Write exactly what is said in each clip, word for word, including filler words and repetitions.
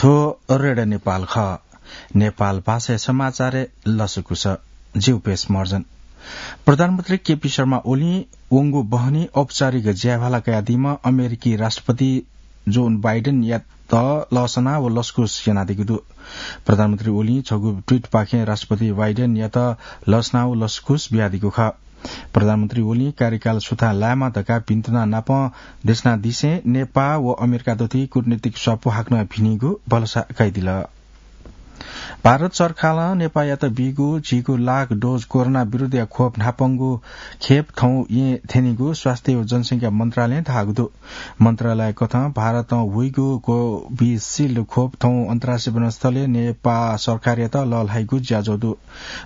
थ्व रेडियो नेपाल खः। नेपाल भाषाया समाचारय् लसकुस। ज्यू पेश मर्जन। प्रधानमन्त्री केपी शर्मा ओलीं वंगु बहनी औपचारिक ज्याभाला कयादीम्ह अमेरिकी राष्ट्रपति जो बाइडेनयात लसना व लसकुस यानादीगु दु। प्रधानमन्त्री ओलीं छगू ट्वीटपाखें राष्ट्रपति बाइडेनयात लसना व लसकुस बियादीगु खः। प्रधानमन्त्री ओलीं कार्यकाल सुथां लायेमा धकाः भिन्तुना नाप देशनादिसें नेपाः व अमेरिका दथुइ कूटनीतिक स्वापू हाकनं भिनीगु भलसा कयादिल। भारत सरकारं नेपाःयात बीगु झिगू लाख डोज कोरोना विरुद्धया खोप न्हापांगु खेप थौं येँ थ्यनीगु स्वास्थ्य व जनसंख्या मन्त्रालयं धाःगु दु। मन्त्रालय कथं भारतं हुइगु कोभिसिल्ड खोप थौं अन्तर्राष्ट्रिय विमानस्थलय् नेपाः सरकारयात लःल्हाइगु ज्याझ्वः दु।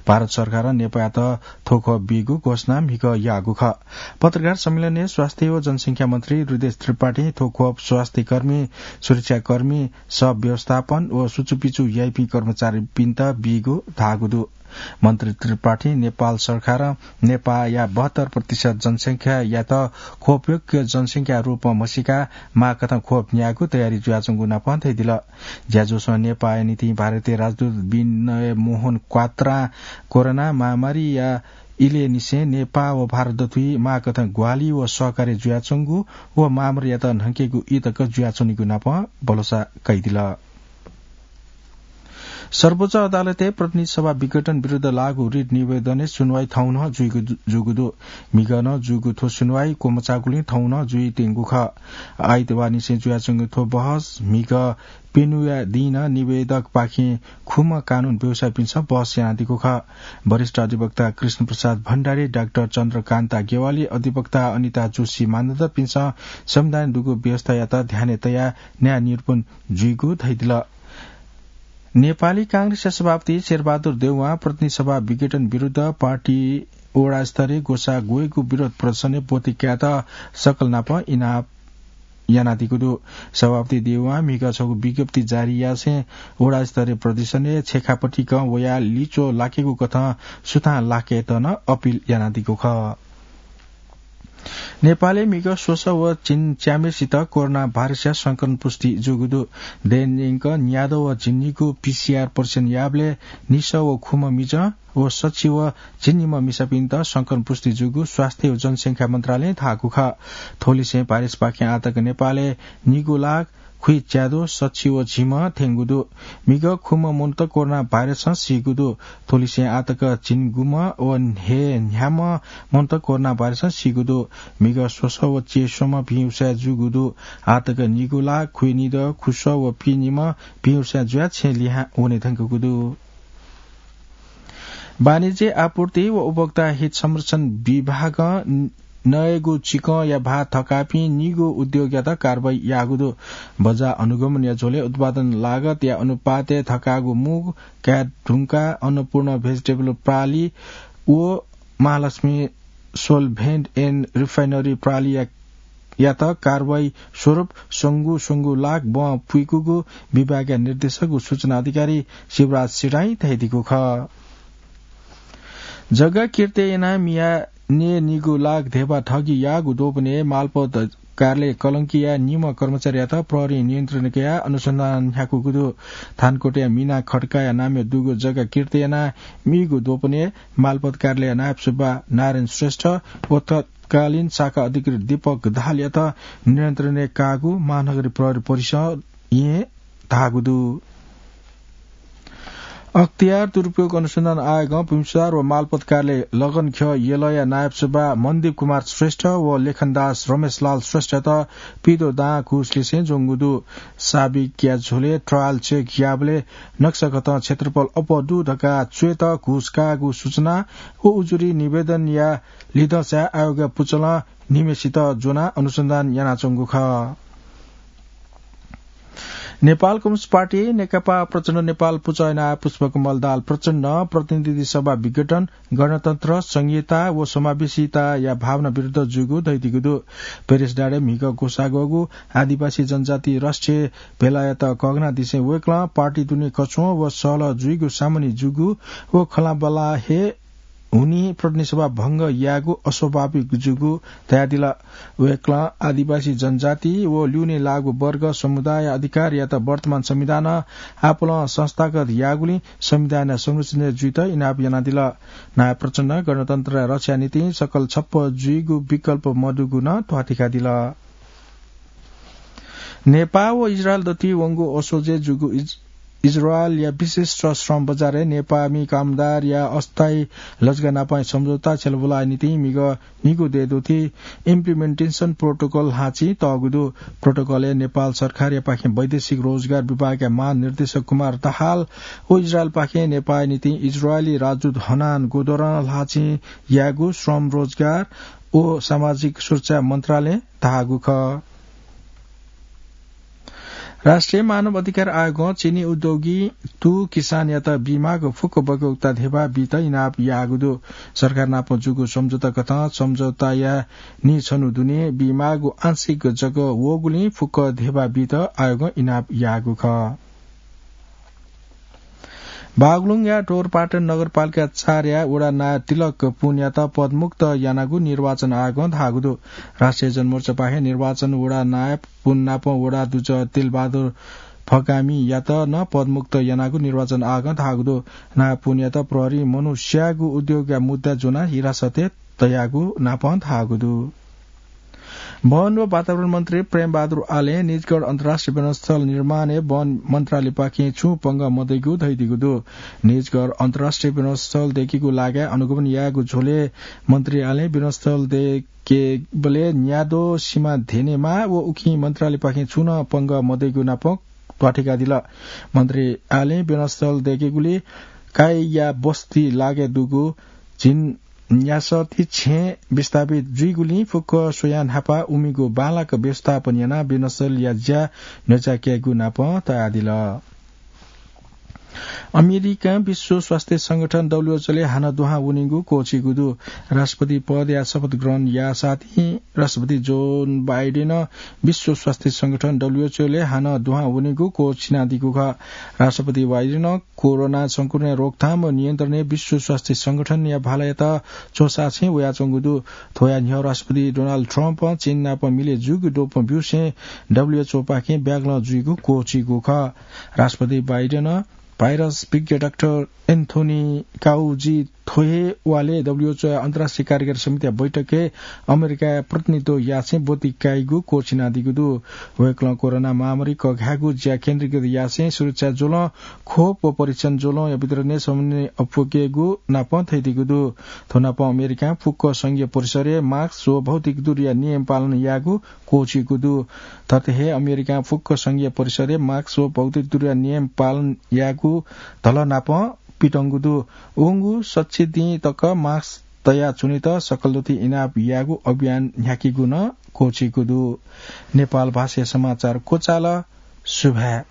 भारत सरकारं नेपाःयात थ्व खोप बीगु घोषणा म्हिगः याःगु खः। पत्रकार सम्मेलनय् स्वास्थ्य व जनसंख्या मन्त्री हृदयेश त्रिपाठीं थ्व खोप स्वास्थ्यकर्मी, सुरक्षाकर्मी, शव व्यवस्थापन व सुचुपिचु याइपिं कर्मचारीपिन्त बीगु धाःगु दु। मन्त्री त्रिपाठीं नेपाल सरकारं नेपाःया बहत्तर प्रतिशत जनसंख्यायात खोपयोग्य जनसंख्या रूपं म्हसीका माःकथं खोप न्यायेगु तयारी जुयाच्वंगु नाप धयादिल। ज्याझ्वलय् नेपाःया निंतिं भारतीय राजदूत विनय मोहन क्वात्रां कोरोना महामारीया इलय् निसें नेपाः व भारत दथुइ माःकथं ग्वाहालि व सहकार्य जुयाच्वंगु व महामारीयात न्हंकेगु ई तक जुयाच्वनीगु नाप भलसा कयादिल। सर्वोच्च अदालतय् प्रतिनिधि सभा विघटन विरुद्ध लागू रिट निवेदनय् सुनवाई थौं नं जुइगु दु, जूगु दु। म्हिगः नं जूगु थ्व सुनवाई क्वमचाःगुलिं थौं नं जुइत्यंगु खः। आइतबार निसें जुयाच्वंगु थ्व बहस म्हिगः प्यन्हुया दिं नं निवेदकपाखें खुम्ह कानून व्यवसायीपिन्सं बहस यानादीगु खः। वरिष्ठ अधिवक्ता कृष्ण प्रसाद भण्डारी, डाक्टर चन्द्रकान्ता गेवाली, अधिवक्ता अनिता जोशी मानन्धरपिन्सं संविधानय् दुगु व्यवस्थायात ध्यानय् तयाः न्याय निरूपण जुइगु धयादिल। नेपाली कांग्रेसया सभापति शेरबहादुर देउवां प्रतिनिधि सभा विघटन विरुद्ध पार्टी वडा स्तरय् ग्वसाः ग्वयेगु विरोध प्रदर्शनय् ब्वति कायेत सकल नाप इनाप यानादीगु दु। सभापति देउवां म्हिगः छगू विज्ञप्ति जारी यासें वडा स्तरीय प्रदर्शनय् छेँखापतिकं वयाः लिच्वः लाकेगु कथं सुथां लाकेत नं अपिल यानादीगु खः। नेपालय् म्हिगः स्वसः व झिंच्याम्हेसित कोरोना भाइरसया संक्रमण पुष्टि जूगु दु। दैनिक न्यादँ व झिंनिगू पीसीआर परीक्षण याःबलय् निसः व खुम्ह मिजं व सछि व झिंनिम्ह मिसापिन्त संक्रमण पुष्टि जूगु स्वास्थ्य व जनसंख्या मन्त्रालयं धाःगु खः। थ्वलिसें भाइरसपाखें आःतक नेपालय् निगू लाख खुइच्याद्वः सछि व झिम्ह थ्यंगु दु। म्हिगः खुम्ह मनूत कोरोना भाइरसं सीगु दु। थ्वलिसें आःतक झिंगुम्ह व हे न्ह्याम्ह मनूत कोरोना भाइरसं सीगु दु। म्हिगः स्वसः व च्यय्स्वम्ह भिंउसाँय् जूगु दु। आःतक निगू लाख खुइनिद्वः खुस्वः व पीनिम्ह भिंउसाँय् जुयाः छेँ लिहां वने धुंकूगु दु। वाणिज्य, आपूर्ति व उपभोक्ता हित संरक्षण विभागं नयेगु चिकंया भाः थकाःपिं निगू उद्योगयात कारवाही याःगु दु। बजार अनुगमनया झ्वलय् उत्पादन लागतया अनुपातय् थकाःगु मू काये धुंकाः अन्नपूर्ण भेजिटेबल प्रालि व महालक्ष्मी सोलभेन्ट एन्ड रिफाइनरी प्रालिया यात कारवाही स्वरूप स्वंगू स्वंगू लाख बं पुइकूगु विभागया निर्देशक व सूचना अधिकारी शिवराज सिराइँ धयादीगु खः। जग्गा किर्तय् यानाः मियाः नयेनिगू लाख धेबा ठगी याःगु द्वपनय् मालपोत कार्यालय कलंकीया निम्ह कर्मचारीयात प्रहरीं नियन्त्रण कयाः अनुसन्धान न्ह्याकूगु दु। थानकोटया मिना खड्काया नामय् दुगु जग्गा किर्तय् यानाः मीगु द्वपनय् मालपोत कार्यालय नायब सुब्बा नारायण श्रेष्ठ व तत्कालीन शाखा अधिकृत दीपक दाहालयात नियन्त्रणय् काःगु महानगरीय प्रहरी परिसरं धाःगु दु। अख्तियार दुरुपयोग अनुसन्धान आयोगं भूमि सुधार व मालपोत कार्यालय लगनख्यः यलया नायब सुब्बा मनदीप कुमार श्रेष्ठ व लेखनदास रमेशलाल श्रेष्ठयात पिदो दां घुस लिसें ज्वंगु दु। साबिकया झ्वलय् ट्रायल चेक याःबलय् नक्साकथं क्षेत्रफल अप्वः दु धकाः च्वय्त घुस काःगु सूचना व उजुरी निवेदनया लिधंसाय् आयोगया पुचलं निम्हेसित ज्वनाः अनुसन्धान यानाच्वंगु खः। नेपाल कम्युनिस्ट पार्टी नेकपा प्रचण्ड नेपाल पुचः यानाः पुष्पकमल दाहाल प्रचण्डं प्रतिनिधि सभा विघटन, गणतन्त्र, संघीयता व समावेशिताया भावना विरुद्ध जूगु धयादीगु दु। प्रेस डाँडाय् म्हिगः ग्वसाः ग्वःगु आदिवासी जनजाति राष्ट्रिय भेलायात कःघानादिसें वय्कलं पार्टी दुने कछ्वः व सहलह जुइगु सामान्य जूगु व खँल्हाबल्हा हे हुनी प्रतिनिधि सभा भंग यायेगु अस्वाभाविक जूगु धयादिल। वय्कलं आदिवासी जनजाति व ल्यूने लाःगु वर्ग समुदाय अधिकारयात वर्तमान संविधानं आपालं संस्थागत याःगुलिं संविधानया संरक्षण जुइत इनाप यानादिल। नायब प्रचण्डं गणतन्त्रया रक्षाया निंतिं सकल छप्पँ जुइगु विकल्प मदुगु नं त्वातिकादिल। नेपाः व इजरायल दथुइ वंगु असोजय् जूगु इज-, इजरायलया विशिष्ट श्रम बजारय् नेपाःमि कामदारया अस्थायी लजगाः नापं सम्झौता छ्यलाबुलाया निंतिं म्हिगः निगू दँय् दथुइ implementation protocol ल्हाःचिं तःगु दु। Protocol-य् नेपाल सरकारयापाखें वैदेशिक रोजगार विभागया महानिर्देशक कुमार दाहाल व इजरायलपाखें नेपाःया निंतिं इजरायली राजदूत हनान गोदरं ल्हाःचिं यायेगु श्रम, रोजगार व सामाजिक सुरक्षा मन्त्रालयं धाःगु खः। राष्ट्रिय मानव अधिकार आयोगं चिनी उद्योगी तू किसानयात बीमाःगु फुक्क बग्यौक्ता धेबा बीत इनाप याःगु दु। सरकार नाप जूगु सम्झौता कथं सम्झौताया नीछन्हु दुने बीमाःगु आंशिक जक वःगुलिं फुक्क धेबा बीत आयोगं इनाप याःगु खः। बागलुङया डोरपाटन नगरपालिका चारया वडा नायब तिलक पुनयात पदमुक्त यानागु निर्वाचन आयोगं धाःगु दु। राष्ट्रिय जनमोर्चापाखें निर्वाचन वडा नायब पुन नाप वडा दुजः तिलबहादुर फकामीयात नं पदमुक्त यानागु निर्वाचन आयोगं धाःगु दु। नायब पुनयात प्रहरीं मनू स्यायेगु उद्योगया मुद्दा ज्वनाः हिरासतय् तयागु नापं धाःगु दु। वन व वातावरण मन्त्री प्रेमबहादुर आलें निजगढ अन्तर्राष्ट्रिय विमानस्थल निर्माणय् वन मन्त्रालयपाखें छुं पंगः मदइगु धयादीगु दु। निजगढ अन्तर्राष्ट्रिय विमानस्थल दय्केगु लागाय् अनुगमन यायेगु झ्वलय् मन्त्री आलें विमानस्थल दय्केबलय् न्याद्वः सिमा ध्यनेमाः व उकिं मन्त्रालयपाखें छुं नं पंगः मदइगु नापं त्वातिकादिल। मन्त्री आलें विमानस्थल दय्केगुली काइया बस्ती लागाय् दुगु झिंन्यासः ति छेँ विस्थापित जुइगुलिं फुक्क स्वयां न्हापा उमिगु बांलाक व्यवस्थापन यानाः विमानस्थलया ज्या न्ह्यचायेकेगु नापं तयादिल। अमेरिकां विश्व स्वास्थ्य संगठन WHO-लय् हानं दुहां वनीगु क्वःछीगु दु। राष्ट्रपति पदया शपथ ग्रहण याःसाथं राष्ट्रपति जोन बाइडेनं विश्व स्वास्थ्य संगठन WHO-लय् हानं दुहां वनीगु क्वःछिनादीगु खः। राष्ट्रपति बाइडेनं कोरोना संक्रमणया रोकथाम व नियन्त्रणय् विश्व स्वास्थ्य संगठनया भालायात च्वसाःछेँ वयाच्वंगु दु। थ्वया न्ह्यः राष्ट्रपति डोनाल्ड ट्रम्पं चीन नाप मिले जूगु द्वपं ब्यूसें WHO-पाखें ब्यागलं जुइगु क्वःछीगु खः। राष्ट्रपति बाइडेनं भाइरस विज्ञ डाक्टर एन्थोनी फाउची थ्व हे वालय् WHO अन्तर्राष्ट्रिय कार्यकारी समितिया बैठकय् अमेरिकाया प्रतिनिधित्व याःछेँ ब्वति काइगु क्वःछिनादीगु दु। वय्कलं कोरोना महामारी कःघायेगु ज्या केन्द्रीकृत याःछेँ सुरक्षा ज्वलं, खोप व परीक्षण ज्वलंया वितरणय् समन्वय अप्वयेकेगु नापं धयादीगु दु। थ्व नापं अमेरिकां फुक्क संघीय परिसरय् मास्क व भौतिक दूरीया नियम पालन यायेगु क्वःछीगु दु। थथे हे अमेरिकां फुक्क संघीय परिसरय् मास्क व भौतिक दूरीया नियम पालन यायेगु धलः नापं पितंगु दु। वंगु सच्छि दिं तक मास्क तयाच्वनेत सकल दथुइ इनाप यायेगु अभियान न्ह्याकेगु नं क्वःछीगु दु। नेपाल भाषाया समाचार क्वचाल। सुभाय्।